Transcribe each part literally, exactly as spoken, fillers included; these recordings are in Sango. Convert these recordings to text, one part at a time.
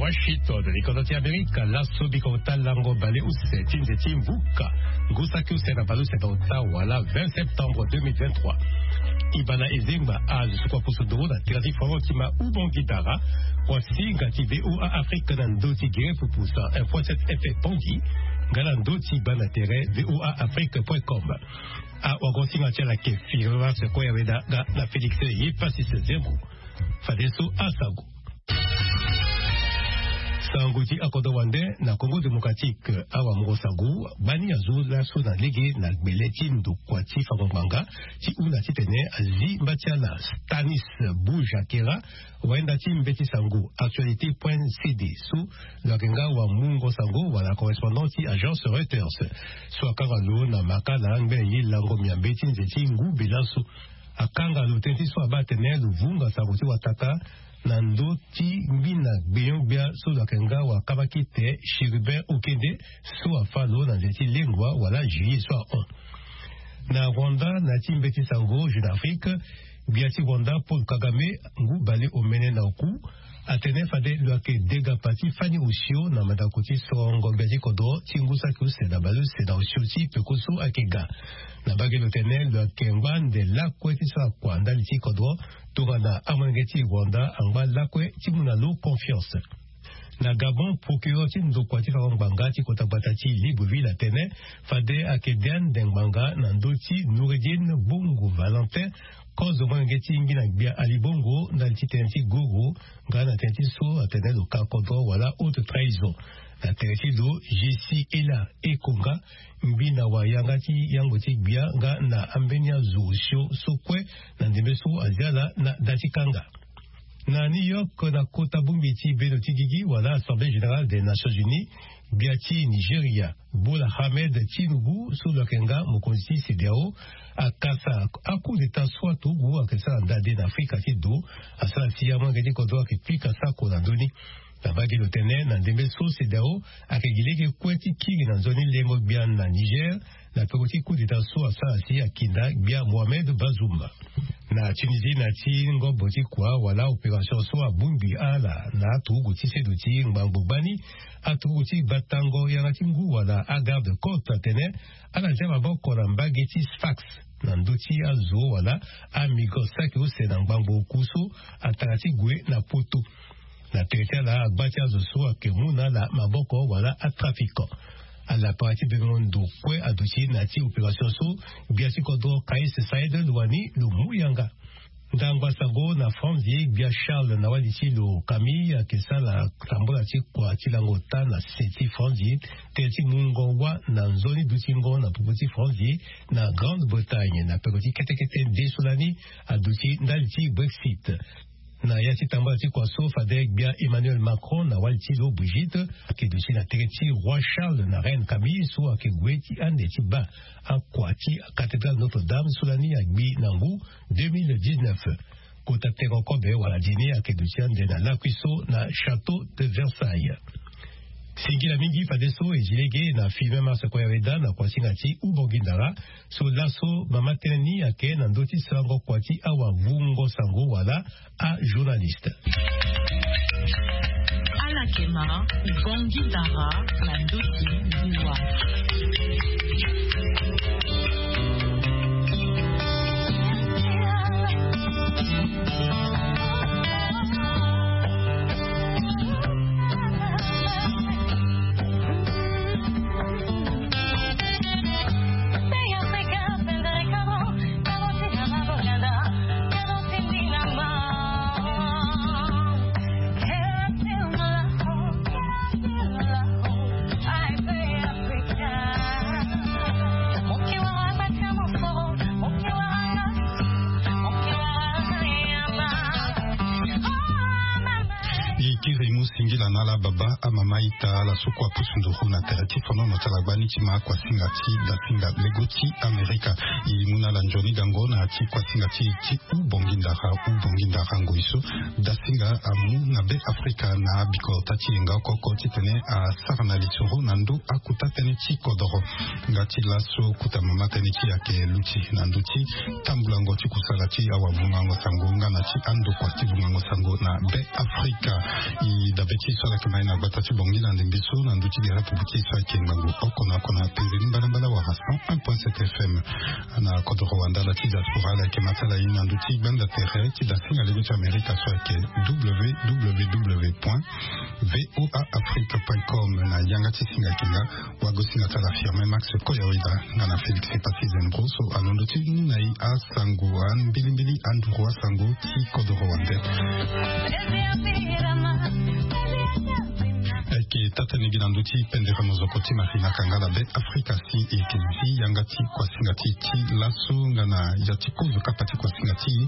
Washington, likondo ti Amerika. Laso biko ota lango baleuse ti nze ti mvuka ngu saki use na baleuse na ota wala vingt septembre deux mille vingt-trois. Ibana ezengba azo sukua pusu doro na tere ti foro ti ma ubongi dara. Kuasinga ti VOA Afrique na ndö ti gere pupusa info sept F Pongi. Nga na ndö ti bana tere VOA Afrique point com. Awagosinga ti ala ke firima sekue ya weda nga na Félix ye Pasis Zengu. Fadeso asango. Sango ti akodro wande na Congo Démocratique. Awamungo sango gbani azo laso na lege na gbele ti ndokua ti fango ngbanga ti hunda titene azi mba ti ala Stanis Bujakera, wayenda ti mbeti sango actualité point C D so lo yeke nga wamungo sango wala correspondant ti agence Reuters. So akanga lo na makala ngbene ye lango miambe ti nze ti ngu bela so. Akanga lo tënë ti so abaa atene lo vunga sango ti wataka na ndö ti ngbina gbenyo-gbia so lo yeke nga wakabakite Chérubin Okende so afâ lo na nze ti lengua wala juillet so ahon. Na Rwanda, na ya ti mbeti sango Jeune Afrique, gbia ti Rwanda Paul Kagame, ngu baleomene na oku, atene fade lo yeke degapa ti fani osio na mandako ti sorongo gbia ti kodro ti ngu saki use na baleuse na osio ti peko so ayeke ga. Na mbage lo tene lo yeke ngba ande lakue ti sara kua ndali ti kodro tongana amolenge ti Rwanda angba lakue ti mu na lo confiance. Na Gabon, procureur ti ndokua ti fango ngbanga ti kota gbata ti Libreville atene fade ayeke de ande ngbanga na ndö ti Noureddine Bongo Valentin, kozo molenge ti ngbina gbia Ali Bongo ndali ti tënë ti goro, nga na tënë ti so atene lo ka kodro wala haute trahison. Na tere ti lo, Jessie Ela Ekonga, ngbina wayanga ti yango ti gbia nga na ambeni azo osio so kue na ndembe so azi ala na da ti kanga. Na New York, na kota bongbi ti bendo ti gigi wala Assemblée Générale des Nations Unies, gbia ti Nigeria, Bola Ahmed Tinubu so lo yeke nga mokonzi ti CEDEAO, akasa a-coup d'État so aturugu ayeke sara ndade na Afrika ti do, asara si amolenge ti kodro ayeke pika sako na ndö ni. Na mbage lo tene na ndembe so CEDEAO ayeke gi lege kue ti kiri na nzoni lengo gbia na Niger, na peko ti coup d'État so asara si akinda gbia Mohamed Bazoum. Na Tunisie, na ya ti ngobo ti kua wala opération so abongbi ala na aturugu ti sedo ti ngbangbo gbani, aturugu ti batango yanga ti ngu wala agarde côte atene ala zia maboko na mbage ti Sfax na ndö ti azo wala amigrant saki use na ngbangbo oku so atara ti gue na poto. Na tere ti ala, agba ti azo so ayeke mu na ala maboko wala atrafiquant. Ala para ti bengo ndo kue aduti na ya ti opération so gbia ti kodro Kais Saied lo wani lo mu yanga. Ndangba sango na Franzi, gbia Charles na wali ti lo Camille ayeke sara tambula ti kua ti lango ota na se ti Franzi, tënë ti mungo wâ na nzoni dutingo na popo ti Franzi na Grande-Bretagne na peko ti kete kete nde so lani aduti ndali ti Brexit. Na ya ti tambula ti kua so fade gbia Emmanuel Macron na wali ti lo Brigitte ayeke duti na tere ti roi Charles na reine Camille so ayeke gue ti ande ti baa akua ti cathédrale Notre-Dame so lani agbi na ngu deux mille dix-neuf. Kota tengo kobe wala dini ayeke duti ande na lakui so na château de Versailles. Singila mingi fadeso e zi lege na filme marche kue ya weda na kuasinga ti Ubongi Ndara. So laso mama tënë ni ayeke na ndö ti sarango kua ti awavungo sango wala ajournaliste. Alakema, Ubongi Ndara na ndö ti liwa. Likiri mu singila na ala baba, amama, ita, ala so kue apusu nduru na tere ti fonono ti ala gbani ti ma kuasinga ti dasinga lego ti Amerika. E mu na ala nzoni gango na ya ti kuasinga ti e ti Ubongi Ndara, Ubongi Ndara ngoi so dasinga amu na Be Afrika na bikota ti yenga oko oko titene asara na lisoro na ndö akota tënë ti kodoro. Nga ti laso kota mama tënë ti e ayeke luti na ndö ti tambulango ti kusala ti awavungango sango nga na ti andokua ti vungango sango na Be Afrika. E dabe ti So ala yeke ma e na gbata ti Bangui na ndembe so na ndö ti gere apupu ti e so ayeke ngangu oko na oko na penze ni mbalambala wala cent un point sept F M. Na kodoro wandala ti diaspora ala yeke ma ti ala ye na ndö ti gbanda tere ti dasinga lege ti Amerika so ayeke W W W point V O A Afrique point com. Na yanga ti singa yeke nga wagosinga ti ala Firmin Max Koyaweda nga na Félix Epassi Zembro so alondo ti mu na e asango, ambilimbili anduru asango ti kodoro wande. Ayeke taa-tënë gi na ndö ti pendere mozoko ti Marina Kangala Be Afrika si e yeke zi yanga ti kuasinga ti e ti laso nga na ya ti kozo kapa ti kuasinga ti e.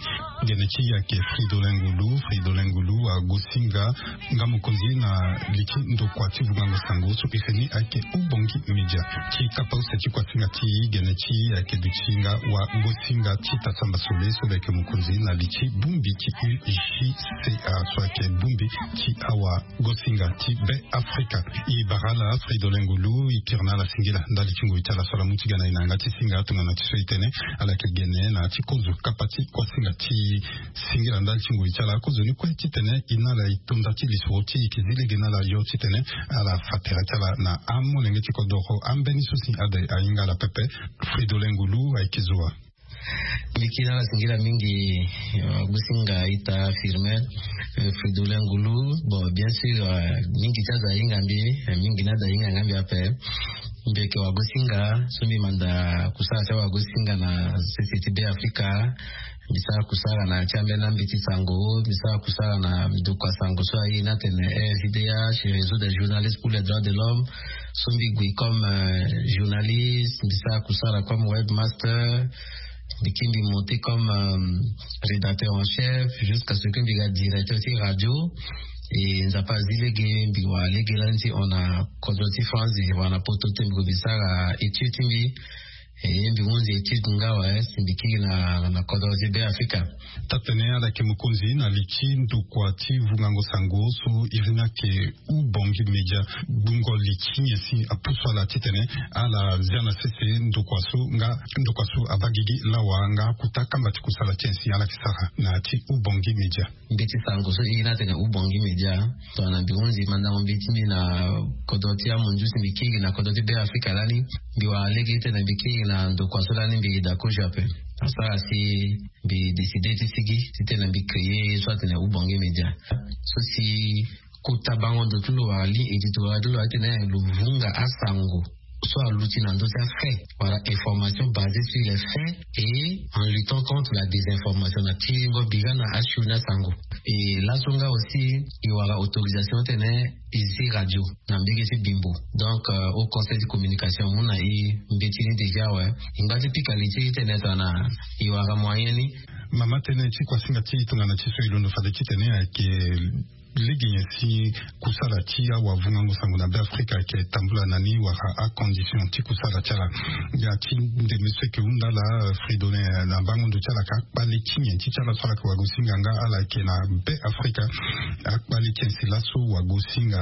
Gene ti e ayeke Fridolin Ngulu. Fridolin Ngulu agosinga nga mokonzi na li ti ndokua ti vungango sango so e fe ni ayeke Ubongi Media. Ti kapa use ti kuasinga ti e, gene ti e ayeke duti nga wagosinga ti Tasamba Sole so lo yeke mokonzi na li ti bongbi ti U J C A so ayeke bongbi ti awagosinga ti Be Afrika. E bara ala Fridolin Ngulu, e kiri na ala singila ndali ti ngoi ti ala so ala mu ti ga na e na yanga ti singa tongana ti so e tene ala yeke gene na ya ti kozo kapa ti kuasinga ti e. Singila ndali ti ngoi ti ala. Akozoni kue titene e na ala e to nda ti lisoro ti e, e yeke zi lege na ala yo titene ala fa tere ti ala na amolenge ti kodoro. Ambeni so si ade ahinga ala pepe. Fridolin Ngulu ayeke zo wa. Mbi yeke na ala singila mingi, eh, wagosinga ita Firmin, eh, Fridolin Ngulu. Bon, bien sûr, eh, mingi ti azo ahinga mbi, eh, mingi ni azo ahinga nga mbi ape. Mbi yeke wagosinga so mbi manda kusala ti awagosinga na sese ti Be Afrika. Mbi sara kusala na ti ambeni ambeti sango, mbi sara kusala na ndokua sango so aye ni atene R J D H, Réseau des journalistes pour les droits de l'homme. So mbi gue comme, euh, journaliste, mbi sara kusala comme webmaster. Mbi kiri mbi monté comme, euh, rédacteur en chef, jusqu'à ce que mbi ga directeur ti radio. E Nzapa azi lege mbi wara lege lani ti hon na kodro ti France, wala na poto ti mbi gue mbi sara étude ti mbi. E mbi hunzi étude nga awe si mbi kiri na, na kodro ti Be Afrika. Taa-tënë, ala yeke mokonzi na li ti ndokua ti vungango sango so iri ni ayeke Ubongi Media. Gbungo li ti nyen si apusu ala titene ala zia na sese ndokua so nga ndokua so abaa gigi lawa nga akuta kamba ti kusala ti nyen si ala yeke sara na ya ti Ubongi Media? Mbeti sango so e na tene Ubongi Media, tongana mbi hunzi mandango mbeti mbi na kodro ti amunzu si mbi kiri na kodro ti Be Afrika lani, mbi wara lege titene mbi kiri na ndokua so lani mbi yeda kozo ape. Asara si mbi décidé ti sigi titene mbi créé ye so atene Ubongi Media. So si kota bango ndo ti lo wala ligne éditoriale ti lo atene lo vunga asango so aluti na ndö ti afait, wala information basée sur les faits et en luttant contre la désinformation na ti lingo bira na asioni asango. E laso nga aussi e wara autorisation tene e zi radio na mbege ti Bimbo. Donc, euh, au conseil de communication mu na e mbeti ni déjà awe. E ngba ti pika li ti e tene tongana e wara moyen ni. Mama tënë ti kuasinga ti e tongana ti so e londo fade titene ayeke lege nyen si kusala ti awavungango sango na Be Afrika ayeke tambula na ni wala acondition ti kusala ti ala. Ya ti ndembe so e yeke hunda ala, Fridolin, na bango ndo ti ala ka akpale ti nyen ti ti ala so ala yeke wagosinga nga ala yeke na Be Afrika. Akpale ti nyen si laso wagosinga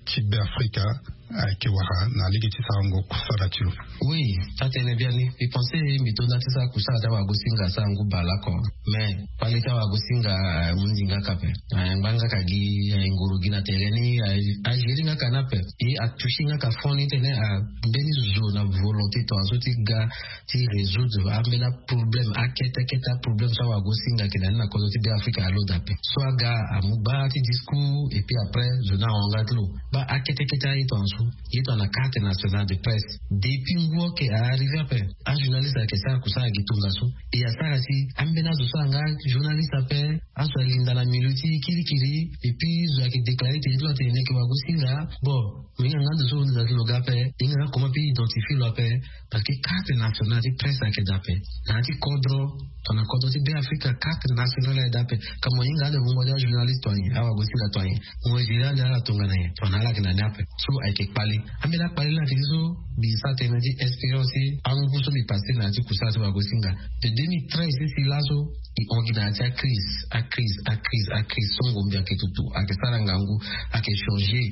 ti Be Afrika ayeke wara na lege ti sarango kusala ti lo? Oui, taa-tënë biani. Mbi pensé mbi to nda ti sara kusala ti awagosinga asarango bale oko. Mais kpale ti awagosinga, eh, ahundi nga ka ape. Eh, angba nga ka gi, eh, ngoro gi na tere ni, eh, agérer nga ka ni ape. E atoucher nga ka fond ni tene, ah, mbeni zo na volonté tongaso ti ga ti résoudre ambeni aproblème, akete kete aproblème so awagosinga ayeke na ni na kodro ti Be Afrika alondo ape. So aga amu gbaa ti discours et puis après zo ni ahon nga ti lo. Baa akete kete aye tongaso. Ye tongana carte nationale de presse. Depuis ngu oke a arrivé ape. Ajournaliste ayeke sara kusala gi tongaso. E asara si ambeni azo so anga journaliste ape, azo alinda na milieu ti kirikiri, et puis zo ayeke déclarer tene ti lo atene ni ayeke wagosinga. Bon, mo hinga nga ndo so lo hinga ti lo ga ape, e hinga nga comment mpe identifier lo ape. Parce que carte nationale ti presse ayeke daa ape. Na ya ti kodro, tongana kodro ti Be Afrika, carte nationale ayeke daa ape. Ka mo hinga ande vungo ti ajournaliste to anyen, awagosinga to anyen. Mo gérer ande ala tongana nyen, tongana ala yeke na ni ape. So ayeke kpale. Ambeni akpale ni ayeke ti so mbi sara tënë ti expérience ti angu so mbi passé na ya ti kusala ti wagosinga. De deux mille treize ti si laso, e hon gi na ya ti acrise, acrise, acrise, acrise. Songo mbi ayeke tutu, ayeke sara ngangu, ayeke changer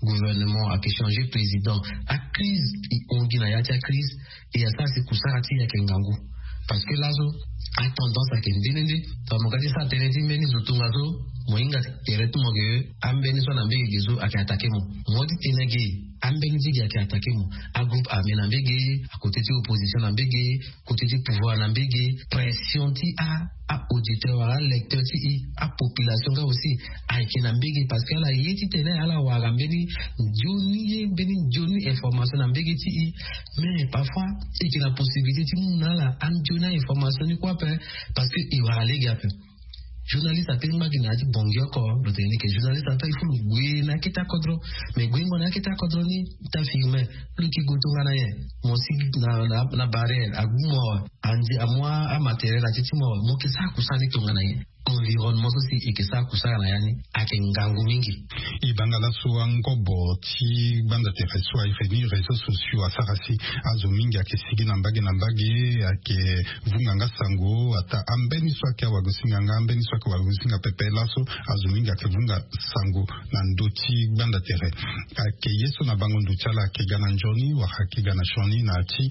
gouvernement, ayeke changer président. Acrise, e hon gi na ya ti acrise, e asara si kusala ti e ayeke ngangu. Parce que laso, atendance ayeke nde nde nde. Tongana mo ga ti sara tënë ti mbeni zo tongaso, Mo hinga tere ti mo ke ambeni so na mbege ge so ayeke attaqué mo. Mo ti tene ge ambeni ti ge ayeke attaqué mo. Agroupe armé na mbege, akote ti opposition na mbege, kote ti pouvoir na mbege. Pression ti a auditeur wala alecteur ti e, apopulation nga aussi ayeke na mbege, parce que ala ye ti tene ala wara mbeni nzoni ye mbeni nzoni information na mbege ti e. Mais parfois e yeke na possibilité ti mu na ala anzoni a information ni kue ape, parce que e wara lege ape. Journaliste ape ngba gi na ya ti bongi oko. Lo tene ni ke journaliste ape il faut lo gue na akete akodro. Mais guengo na akete akodro ni, ta firme, lo yeke gue tongana nyen? Mo si na, na, na barrière agu mo awe, andi amu amatériel ati ti mo awe, mo yeke sara kusala ni tongana nyen? Environnement so si e yeke sara kusala na ya ni ayeke ngangu mingi. E banga laso angobo ti gbanda tere so ayeke ni réseaux sociaux asara si azo mingi ayeke sigi na mbage na mbage, ayeke vunga nga sango. Ata ambeni so ayeke awagosinga nga, ambeni so ayeke wagosinga pepe, laso azo mingi ayeke vunga sango na ndö ti gbanda tere. Ayeke ye so na bango ndo ti ala ayeke ga na nzoni wala ayeke ga na sioni na ya ti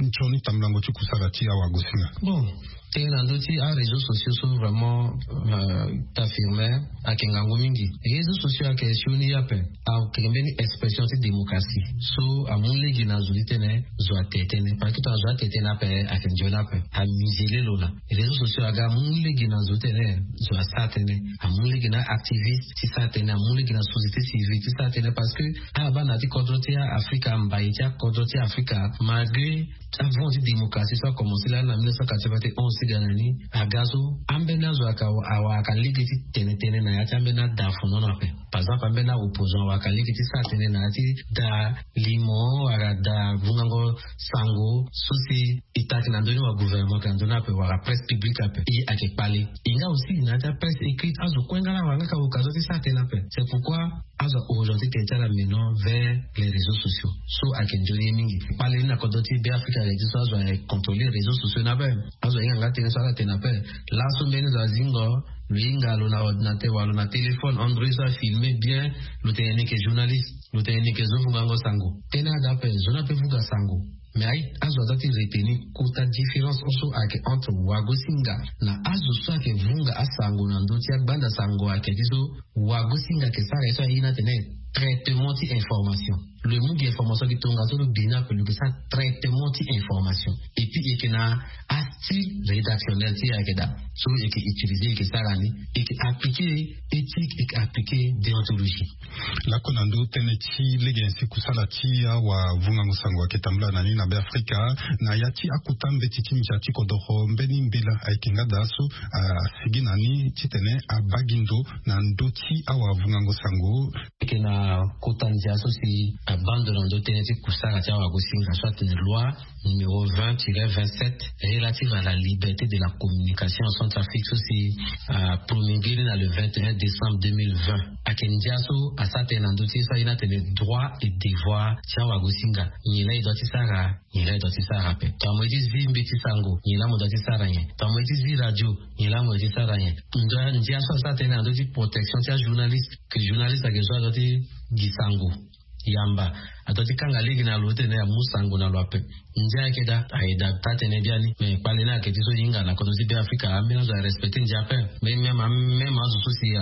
nzoni tambulango ti kusala ti awagosinga. Bon, tënë na ndö ti aréseaux sociaux so vraiment, euh, ta firme, ayeke ngangu mingi. Réseaux sociaux ayeke sioni ye ape, ayeke mbeni expression ti démocratie so amu lege na zo ti tene zo atene tënë, parce que tongana zo atene tënë ape ayeke nzoni ape. Amusele lo na réseaux sociaux aga amu lege na zo ti tene zo asara tënë, amu lege na activiste ti sara tënë, amu lege na société civile ti sara tënë, parce que ala baa na ya ti kodro ti Afrika, mbai ti akodro ti Afrika, malgré avant ti démocratie so akomense lani na mille neuf cent quatre-vingt-onze ti ga na ni, aga so ambeni azo ayeke awara lege ti tene tënë na ya ti ambeni ada afonono ape. Par exemple ambeni aopposant awara lege ti sara tënë na ya ti da limo wala da vungango sango so si e taki na ndö ni wala gouvernement ayeke na ndö ni ape wala presse publique ape. E ayeke kpale. E nga aussi na ya ti apresse écrite azo kue nga la awara nga ka occasion ti sara tënë ape. C'est pourquoi azo a orienté tënë ti ala maintenant vers les réseaux sociaux so ayeke nzoni ye mingi. Kpale ni na kodro ti Beafrika ayeke ti so azo ayeke contrôler réseaux sociaux ni ape. Azo ahinga nga tënë so ala tene ape. Laso mbeni zo azingo, lo hinga lo na ordinateur wala lo na téléphone Android so afilme bien, lo tene ni yeke journaliste, lo tene ni yeke zo vungango sango. Tënë ada ape, zo ni ape vunga sango. Mais aye azo aza ti retenir kota différence so ayeke entre wagosinga na azo so ayeke vunga asango na ndö ti agbanda sango ayeke ti so wagosinga ayeke sara ye so aye ni atene traitement ti information. Lo mu gi information gi tongaso lo bi ni ape, lo yeke sara traitement ti information. Et puis e yeke na astyle rédactionnel ti e ayeke daa so e yeke utiliser, e yeke sara ni, e yeke appliquer éthique, e yeke appliquer déontologie. Lakue na ndö tënë ti lege nyen si kusala ti awavungango sango ayeke tambula na ni na Beafrika, na ya ti akota mbeti ti ndia ti kodoro, mbeni mbela ayeke nga daa so asigi na ni titene abaa gi ndo na ndö ti awavungango sango? E yeke na kota ndia so si abaa ndo na ndö tënë ti kusala ti awagosinga so atene loi numéro vingt tiret vingt-sept relative à la liberté de la communication en Centrafrique so si apromulgué ni na le vingt et un décembre deux mille vingt. Ayeke ndia so asara tënë na ndö ti ye so aye ni atene droit et devoir ti awagosinga. Nyen laa e doit ti sara, nyen laa e doit ti sara ape. Tongana mo ye ti zi mbeti sango, nyen laa mo doit ti sara nyen? Tongana mo ye ti zi radio, nyen laa mo doit ti sara nyen? Ndia so asara tënë na ndö ti protection ti ajournaliste, que journaliste ayeke so adoit ti gi sango yamba, adoit ti kanga lege na lo titene amu sango na lo ape. Ndia ayeke daa, ayeke daa taa-tënë biani. Mais kpale ni ayeke ti so e hinga na kodro ti Beafrika, ambeni azo arespecté ndia ape. Mais même, même azo so si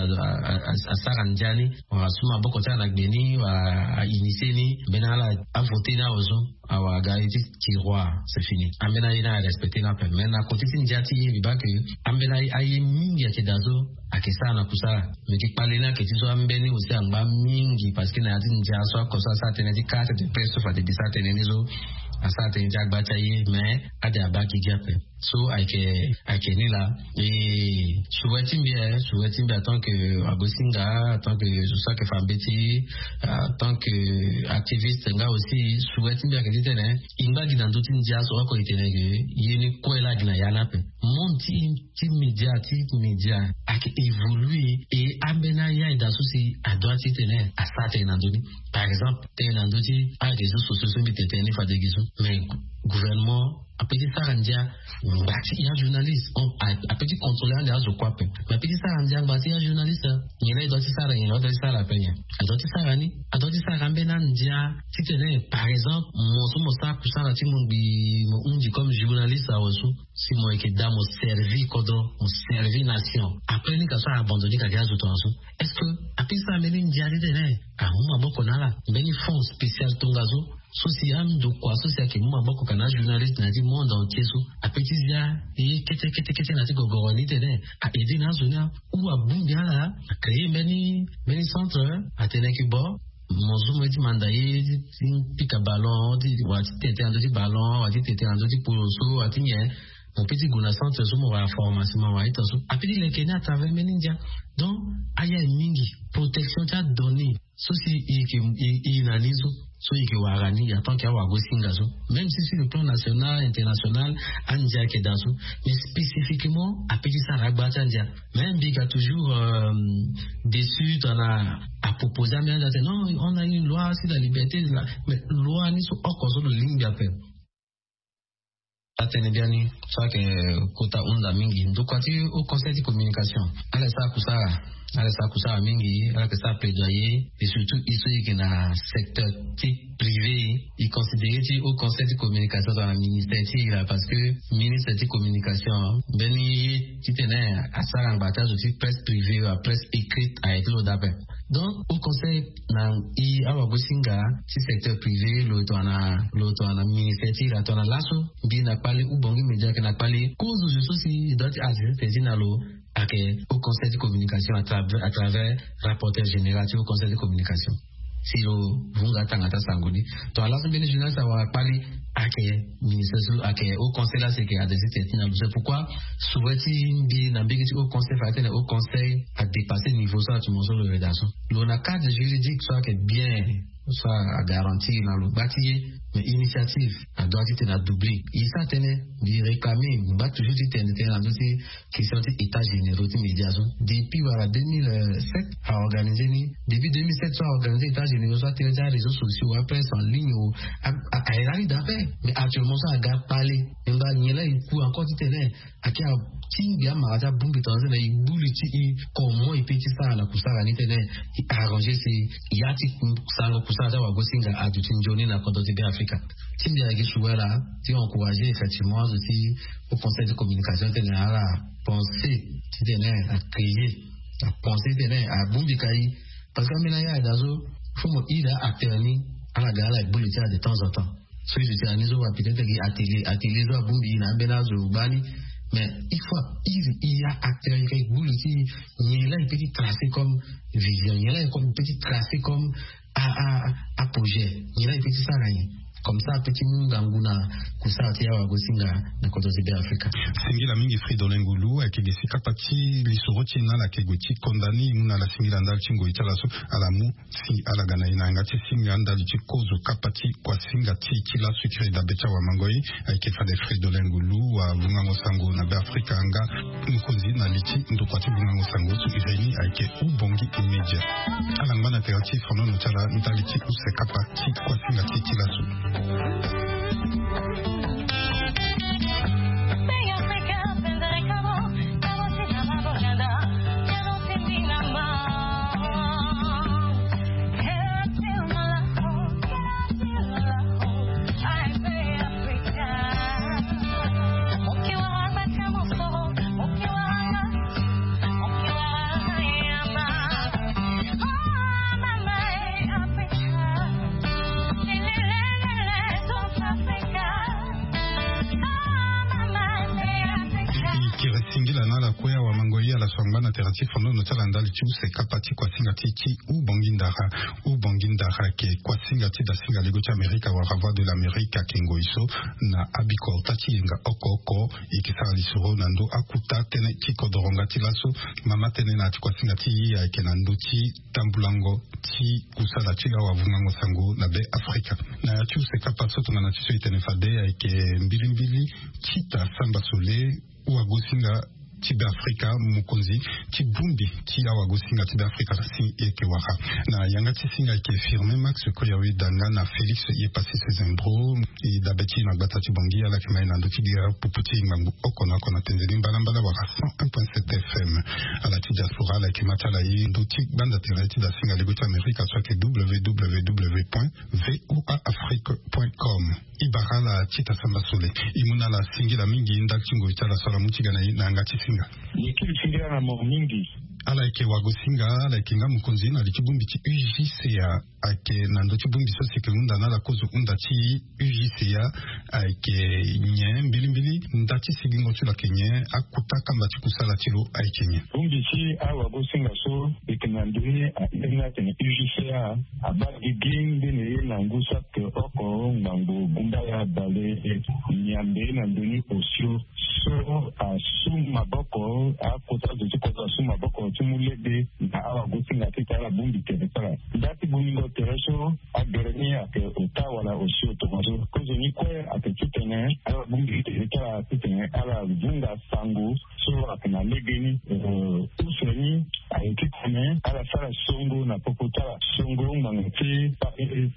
asara ndia ni, wala asu maboko ti ala na gbe ni, wala ainitié ni, mbeni ala avoté ni awe so, awa aga ye ti tiroir, c'est fini. Ambeni aye ni arespecté ni ape. Mais na kote ti ndia ti e, mbi baa ke ambeni aye mingi ayeke daa so ayeke sara na kusala. Mais gi kpale ni ayeke ti so ambeni aussi angba mingi, parce que na ya ti ndia so oko so asara tënë ti kara tënë ti presse so fade mbi sara tënë ni so, asara tënë ti agba ti aye, mais ade abaa gi gi ape. So ayeke, ayeke ni laa. E, souhait ti mbi, eh, souhait ti mbi en tant que wagosinga, en tant que zo so ayeke fa mbeti, en tant que activiste nga aussi, souhait ti mbi ayeke titene e ngba gi na ndö ti ndia so oko e tene ke ye ni kue laa gi na ya ni ape. Monde ti, ti média, ti média ayeke évolué, e ambeni aye aye daa so si adoit titene asara tënë na ndö ni. Par exemple tënë na ndö ti aréseaux sociaux so mbi tene tënë ni fade gi so, mais gouvernement ape ti sara ndia ngba ti ya journaliste. Bon, ape ti contrôler ande azo kue ape, mais ape ti sara ndia ngba ti ya journaliste. Nyen la e doit ti sara, nyen la e doit ti sara ape, nyen a doit ti sara ni? A doit ti sara ambeni andia titene par exemple mo so mo sara kusala ti mo ngbii mo hundi comme journaliste awe so, si mo yeke daa mo servi kodro, mo servi nation, après ni ka so a abandonner ka gi azo tongaso. Est-ce que ape ti sara mbeni ndia titene amu maboko na ala? Mbeni fonds spécial tongaso so si andokua so si ayeke mu maboko ka na ajournaliste na ya ti monde entier so ape ti zia ye kete kete kete na ya ti gogoro ni titene a aider na azo ni. Ou abongbi ala, a créer mbeni mbeni centre, atene ki bo mo zo mo ye ti manda ye ti pika ballon ti wala ti tete na ndö ti ballon wala ti tete na ndö ti polo so wala ti nyen. Mo pe ti gue na centre so mo wara formation mo wara ita so ape ti leke ni à travers mbeni ndia. Donc aya e mingi protection ti adonnée so si i yeke i na ni so, so i yeke wara ni ya tant que awagosinga so, même si sur le plan national international andia ayeke daa so, mais spécifiquement ape ti sara agba ti andia. Mais mbi ga toujours déçu tongana aproposer ambeni andia atene non, on a une loi sur la liberté de la, mais loi ni so oko so lo lingbi ape. Atene biani so ayeke kota hunda mingi ndokua ti haut conseil ti communication. Ala sara kusara, ala sara kusara mingi, ala yeke sara plaidoyer. Et surtout i so i yeke na secteur ti privé, i considéré ti haut conseil ti communication tongana ministère ti i laa, parce que ministre ti communication mbeni ye titene asara ngba ti azo ti presse privée wala presse écrite aye ti lo daa ape. Donc haut conseil na i awagosinga ti secteur privé lo tongana lo tongana ministère ti i laa tongana laso mbi na kpale ou bongi média ayeke na kpale kozo zo so si i doit ti assister ti na lo. Ayeke haut conseil ti communication à travers rapporteur général ti haut conseil ti communication. Si lo vunga atanga ti asango ni tongana laso mbeni journaliste awara kpali ayeke ministre so ayeke haut conseil lasi ayeke adressé ti na lo. C'est pourquoi souhait ti mbi na mbege ti haut conseil fade tene haut conseil adépasser niveau so atumo so lo yeda so. Lo na cadre juridique so ayeke bien so agarantir na lo gba ti ye. Mais initiative adoit ti tene adoubler. E sara tënë mbi réclamer mbi baa toujours ti tene tënë na ndö ti question ti état généraux ti média so. Depuis wala deux mille sept aorganisé ni. Depuis deux mille sept so aorganisé état généraux so atene ti aréseau sociaux apresse en ligne o. Aye lani daa ape. Mais actuellement so aga kpale. E ngba nyen la e ku encore ti tene ake atingbi amara ti abongbi tongana so na e gbu li ti e comment e pe ti sara na kusara ni tene e arranger si ya ti sara kusara ti awagosinga aduti nzoni na kodro ti be afrika. Ti mbi ayeke suwela ti encourager effectivement azo ti au conseil de communication tene ala penser ti tene acréer apenser tene abongbi ka e. Parce que ambeni aya daa so fo mo iri acteur ni ala ga ala gbu li ti ala de temps en temps. So e zo ti ala ni so wa peut-être gi atelier atelier so abongbi e na ambeni azo gbani. Mais il faut iri e ya acteur e ka e gbu li ti e nyen la e pe ti tracer comme vision nyen la e comme e pe ti tracer comme a a a projet nyen la e pe ti sara nyen. Comme ça ape ti mu ngangu na kusara ti awagosinga na kodro ti be afrika. Singila mingi fridolin ngulu ayeke gi si kapa ti lisoro ti e na ala yeke gue ti konda ni e mu na ala singila ndali ti ngoi ti ala so ala mu si ala ga na e na yanga ti singa ndali ti kozo kapa ti kuasinga ti e ti laso e kiri dabe ti awamango e. Ayeke fade fridolin ngulu wavungango sango na be afrika nga mokonzi na li ti ndokua ti vungango sango so e ri ni ayeke ubongi media. Ala ngba na tere ti fonono ti ala ndali ti use kapa ti kuasinga ti e ti laso. Kiri singila na ala kue awamango ye ala so angba na tere ti fonono ti ala ndali ti use kapa ti kuasinga ti e ti ubongi ndara. Ubongi ndara ayeke kuasinga ti dasinga lego ti amerika wala voix de l'amerique ayeke ngoi so na abikota ti yenga oko oko. E yeke sara lisoro na ndö akuta tënë ti kodoro nga ti laso. Mama tënë na ya ti kuasinga ti e ayeke na ndö ti tambulango ti kusala ti awavungango sango na be afrika. Na ya ti use kapa so tongana ti so e tene fade ayeke mbilimbili ti ta samba sole wagosinga ti Beafrika, mokonzi ti bongbi ti awagosinga ti Beafrika si e yeke wara. Na yanga ti singa ayeke Firmin Max Koyawe Danga na Félix Yepassis Zembro. E dabe ti e na gbata ti Bangui, ala yeke ma e na ndö ti gira pupu ti e ngbangbo oko na oko na tenzeni mbalambala wala cent un point sept F M. Ala ti diaspora, ala yeke ma ti ala e ndö ti gbanda tere ti da singa lego ti Amerika so ayeke W W W point V O A Afrique point com. E bara ala ti ta samba sole. E mu na ala singila mingi ndali ti ngoi ti ala so ala mu ti ga na e na yanga ti singa. Ye kiri singila na mo mingi. Ala yeke wagosinga, ala yeke nga mokonzi na li ti bongbi ti U J C A. Ayeke na ndö ti bongbi so si yeke hunda na ala kozo hunda ti U J C A. Ayeke nyen mbilimbili? Nda ti sigingo ti lo ayeke nyen? Akota kamba ti kusala ti lo ayeke nyen? Bongbi ti awagosinga so e yeke na ndö ni airi ni atene U J C A abaa gigi ngbene ye na ngu saki oko ngbangbo gumbaya bale miambe na ndö ni osio so asu maboko, akota zo ti kodro asu maboko ti mu lege na awagosinga titene ala bongbi tere ti ala. Nda ti bongbingo tere so agere ni ayeke ota wala osio tongaso. Kozo ni kue ayeke titene ala bongbi tere ti ala titene ala vunga sango so ayeke na lege ni, eh, use ni aye titene ala sara songo na popo ti ala. Songo ngbanga ti,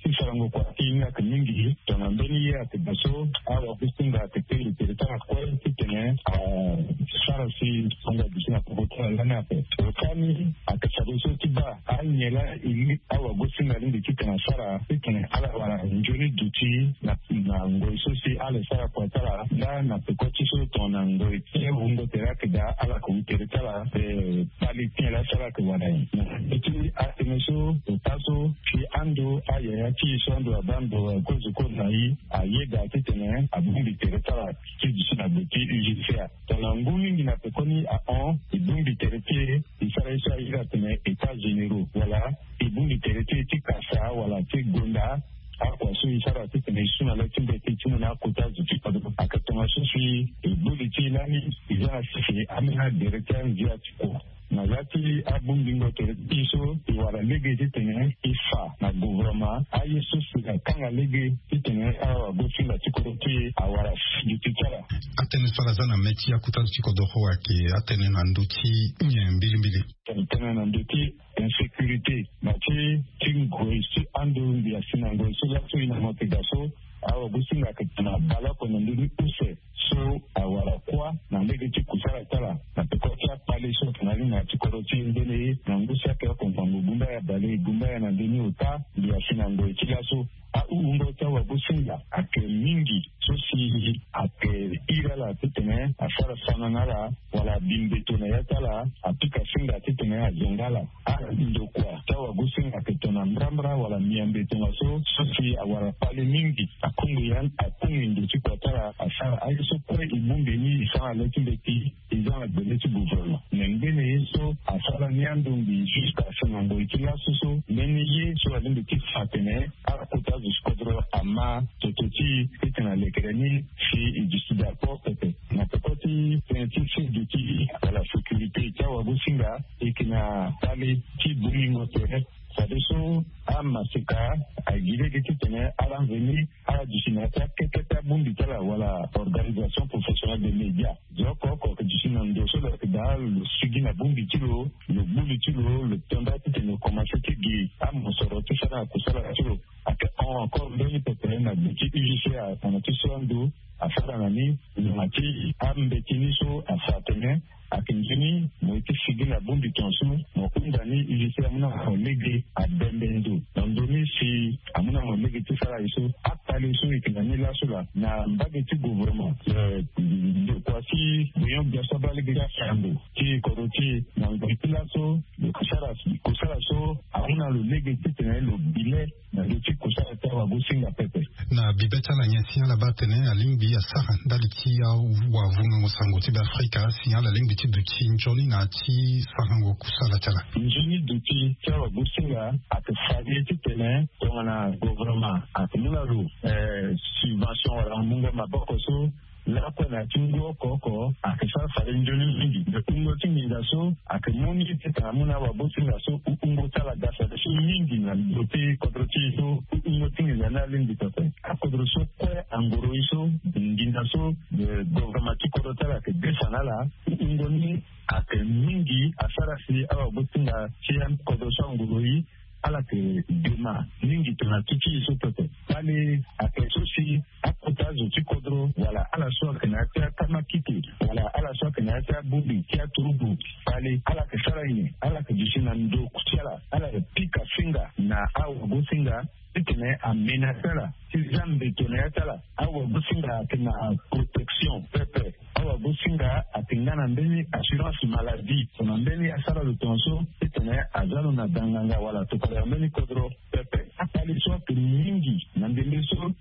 ti sarango kua ti hinga ayeke mingi. Tongana mbeni ye ayeke daa so, awagosinga ayeke tene tere ti ala kue titene asara si songo aduti na popo ti ala lani ape. Ota ni ayeke fadeso ti baa anyen laa e li awagosinga alingbi titene asara titene ala wara nzoni duti na, na ngoi so si ala sara kua ti ala nga na peko ti so tongana ngoi ti wungo tere ayeke daa ala yeke wu tere ti ala, eh, kpali ti nyen laa so ala yeke wara nyen. Na ndö ti atënë so, ota so, si ando ayaya ti e so ando abaa ndo akozo kozo na e, ayeda titene abongbi tere ti ala ti duti na gbe ti U J C A. Tongana ngu mingi na pekoni ahon, e bongbi tere ti e, e sara ye so airi atene états généraux wala e bongbi tere ti e ti kasa wala ti gonda akua so e sara titene e su na le ti mbeti ti mu na akota zo ti kodro. Ayeke tongaso si e gbu li ti e lani e za na sese ambeni agere ti anzia ti kua. Na ya ti abongbingo tere ti e so e wara lege titene e fa na gouvernement aye so si akanga lege titene awagosinga ti kodro ti e awara duti ti ala. Atënë so ala za na mê ti akota zo ti kodro ayeke atënë na ndö ti nyen mbilimbili? Tene na ndö ti insécurité na ti, ti ngoi so ando mbi asi na ngoi so laso e na mo yeke daa so, awagosinga ayeke tene abale oko na ndö ni use so awara kuâ na lege ti kusala ti ala na peko ti akpale so ayeke na ni na ya ti kodro ti e ngbene ye na ngu saki oko ngbangbo gumbaya bale gumbaya na ndö ni ota mbi asi na ngoi ti laso. Ahungo ti awagosinga ayeke mingi so si ayeke iri ala titene asara sana na ala wala abi mbeto na ya ti ala, apika singa titene azonga ala. Andokua ti awagosinga ayeke tongana mbrambra wala miambe tongaso so si awara kpale mingi. Akongo ya, akongo ndo ti kua ti ala asara aye so kue e bongbi ni e sara na le ti mbeti. E za na gbele ti gouvernement me ngbene ye so asara ni ando mbi jusqu'à si na ngoi ti laso so mbeni ye so alingbi ti fa atene ala kota zo ti kodro ama toto ti e titene alekere ni si e duti daa kpo pepe. Na peko ti tënë ti sedu ti ala sécurité ti awagosinga e yeke na kpale ti bongingo tere. Fadeso amaseka agi lege titene ala veni ala duti na ya ti akete ti abongbi ti ala wala organisation professionnelle de média. Zo oko oko ayeke duti na ndo so lo yeke daa lo sigi na bongbi ti lo, lo gbu li ti lo, lo to nda titene lo komanse ti gi amosoro ti sara na kusala ti lo. Ayeke hon encore mbeni pepe na gbe ti U J C A tongana ti so ando asara na ni, tongana ti ambeti ni so afa atene ayeke nzoni mo ye ti sigi na bongbi tongaso, mo hunda ni U J C A amu na mo lege abembe ndo na ndö ni si amu na mo lege ti sara ye so. Akpale so e yeke na ni laso laa na mbage ti gouvernement, eh, ndokua ti Bouillon Gbia so abaa lege ti asango ti kodro ti e na ngoi ti laso, lo yeke sara kusala so amu na lo lege titene lo bi le na ndö ti kusala ti awagosinga pepe. Na bibe ti ala nyen si ala baa atene alingbi asara ndali ti awavungango sango ti Beafrika si ala lingbi ti duti nzoni na ya ti sarango kusala ti ala? Nzoni duti ti awagosinga ayeke fade titene tongana gouvernement ayeke mu na lo, eh, subvention wala mungo maboko so lakue na ya ti ngu oko oko ayeke sara fade nzoni mingi. Me hungo ti nginza so ayeke mu ni ti tena amu na awagosinga so hungo ti ala ga fade so mingi na ndo ti kodro ti e so hungo ti nginza ni alingbi pepe. Akodro so kue angoro e so nginza so governement ti kodro ti ala ayeke desa na ala hungo ni ayeke mingi asara si awagosinga ti akodro so angoro e ala yeke dema mingi tongana ti ti e so pepe. Fade ayeke so si akota azo ti kodro wala ala so ayeke na ya ti akamakite wala ala so ayeke na ya ti abongbi ti aturugu, fade ala yeke sara nyen? Ala yeke duti na ndo ti ala, ala yeke pika singa na awagosinga titene amenase ala ti za mbeto na ya ti ala. Awagosinga ayeke na protection pepe. Awagosinga ayeke nga na mbeni assurance maladie tongana mbeni asara lo tongaso titene aza lo na danganga wala tokala na mbeni kodro pepe. Akpale so ayeke mingi na ndembe so,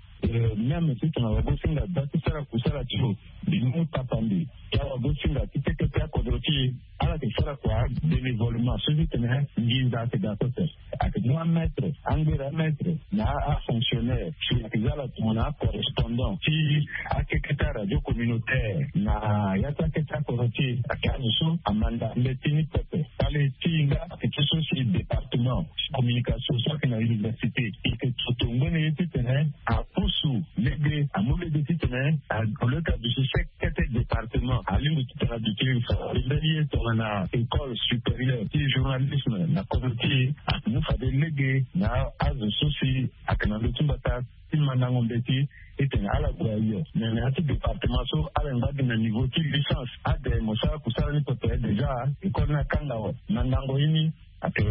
même titene awagosinga aza ti sara kusala ti lo, mbi mu tapande ti awagosinga ti keke ti akodro ti e. Ala yeke sara kua bénévolement so titene nginza ayeke daa pepe. Ayeke mu amètre, angbere amètre na afonctionnaire si ayeke za ala tongana acorrespondant ti akeke ti aradio communautaire na ya ti akeke ti akodro ti e. Ayeke azo so amanda mbeti ni pepe. Fade ti e nga ayeke ti so si département communication so ayeke na université e yeke toto ngbene ye titene apusu lege, amu lege titene au lieu ti aduti seke kete département alingbi titene aduti fade mbeni ye tongana école supérieure ti journalisme na kodro ti e. Amu fade lege na azo so si ayeke na ndö ti mbata ti mandango mbeti titene ala gue ayo. Me na ya ti département so ala ngba gi na niveau ti licence. Ade mo sara kusala ni pepe déjà, école ni akanga awe. Mandango ye ni ayeke,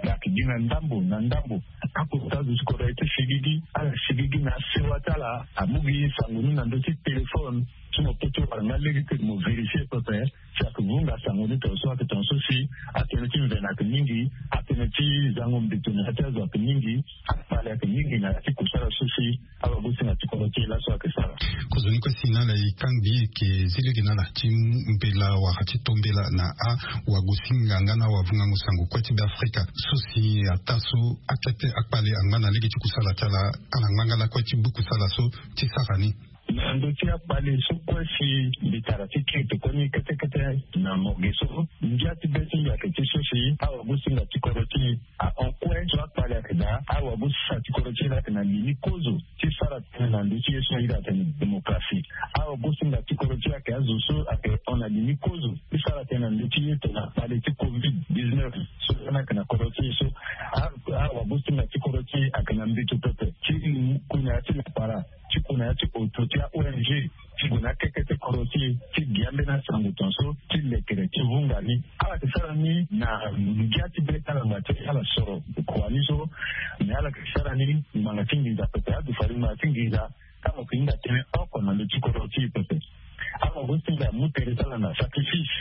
ayeke gi na ndambo na ndambo. Akota azo ti kodro aye ti sigigi, ala sigigi na asewa ti ala. Amu gi sango ni na ndö ti téléphone ti mo kete wala nga lege ti mo vérifier pepe si ayeke vunga sango ni tongaso ayeke tongaso si atënë ti mvene ayeke mingi, atënë ti zango mbeto na ya ti azo ayeke mingi. Akpale ayeke mingi na ya ti kusala so si awagosinga ti kodro ti e laso ayeke sara. Kozoni kue si na ala e kangbi e yeke zi lege na ala ti mbela wala ti to mbela na awagosinga nga na awavungango sango kue ti Beafrika so si ataa so akete akpale angba na lege ti kusala ti ala, ala ngba nga lakue ti gbu kusala so ti sara ni. Na ndö ti akpale so kue si mbi tara ti kiri tokoni kete kete na mo ge so, ngia ti be ti mbi ayeke ti so si awagosinga ti kodro ti e ahon kue so akpale ayeke daa, awagosinga ti kodro ti e laa ayeke na li ni kozo ti sara tënë na ndö ti ye so ahiri atene démocratie. Awagosinga ti kodro ti e ayeke azo so ayeke hon na li ni kozo ti sara tënë na ndö ti ye tongana kpale ti covid dix-neuf so lani ayeke na kodro ti e so. Awagosinga ti kodro ti e ayeke na mbeto pepe ti ku na ya ti lapara, ti ku na ya ti oto ti a-O N G, ti gue na akeke ti kodro ti e ti gi ambeni asango tongaso ti lekere ti vunga ni. Ala yeke sara ni na ngia ti be ti ala ngba ti ala soro kua ni so. Me ala yeke sara ni ngbanga ti nginza pepe, adufa ni ngbanga ti nginza. Tango yeke hinga tënë oko na ndö ti kodro ti e pepe. Awagosinga amu tere ti ala na sacrifice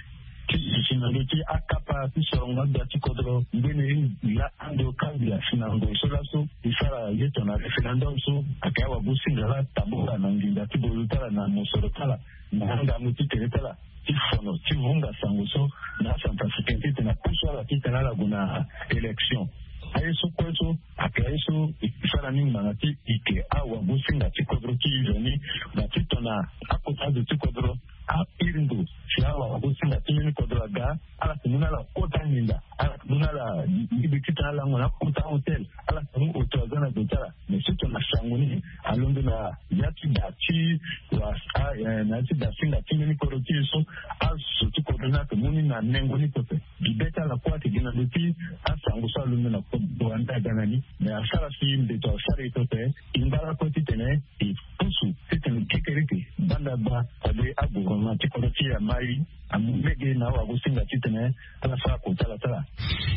ti duti na ndö ti akapa ti sorongo agbia ti kodro. Ngbene ye la ando kangbi asi na ngoi so laso e sara ye tongana référendum so ayeke awagosinga laa tabula na nginza ti bolo ti ala na mosoro ti ala na angangu ti tere ti ala ti fono ti vunga sango so na acentrafricain titene apusu ala titene ala gue na élection. Aye so kue so ayeke aye so e sara ni ngbanga ti eke awagosinga ti kodro ti e. Nzoni na ti tongana akota azo ti kodro ahiri ndo si awagosinga ti mbeni kodro aga, ala yeke mu na ala kota nginza, ala yeke mu na ala lege titene ala lango na akota hotel, ala yeke mu oto aza na ndo ti ala. Mais surtout na sango ni alondo na ya ti da ti wa, a, eh, na ya ti da singa ti mbeni kodro ti e so azo ti kodro ni ayeke mu ni na nengo ni pepe. Gi be ti ala kue ayeke gi na ndö ti asango so alondo na kodro ande aga na ni. Mais asara si mbeto asara e pepe. E ngba lakue titene e pusu titene kekereke banda gba fade agouvernement ti kodro ti e amai. Amu lege na awagosinga titene ala sara kota ala ti ala.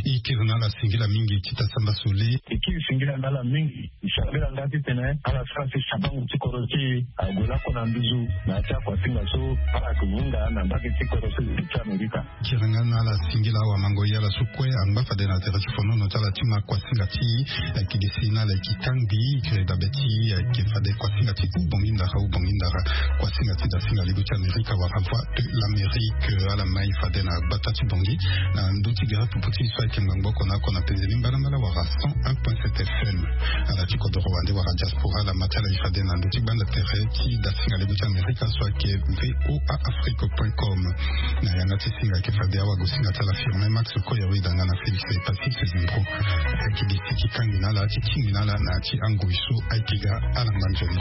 E kiri na ala singila mingi ti ta samba sole. E kiri singila na ala mingi. E sambela nga titene ala sara si sabango ti kodro ti e ague lakue na nduzu na ya ti akuasinga so ala yeke vunga na mbage ti kodro so ti Amerika. Kiri nga na ala singila awamango ye ala so kue angba fade na tere ti fonono ti ala ti ma kuasinga ti e. Ayeke gi si na ala yeke kangbi e kiri dabe ti e ayeke fade kuasinga ti Ubongi ndara, Ubongi ndara. Kuasinga ti dasinga libo ti Amerika wala Voix de l'Amérique, ala mai fade na gbata ti Bangui na ndö ti gere pupu ti e so ayeke ngbangbo oko na oko na penzeni mbalambala wala cent un point sept F M. Ala ti Doro wande wala diaspora lama ti ala e fade na ndö ti gbanda tere ti dasinga lego ti amerika so ayeke voa afrique point com. Na yanga ti singa ayeke fade awagosinga ti ala firme max koya weda nga na félix e pacifique zimbro. Ayeke di ti ti kangbi na ala ti tingbi na ala na ya ti angoi so ayeke ga ala ngba nzoni.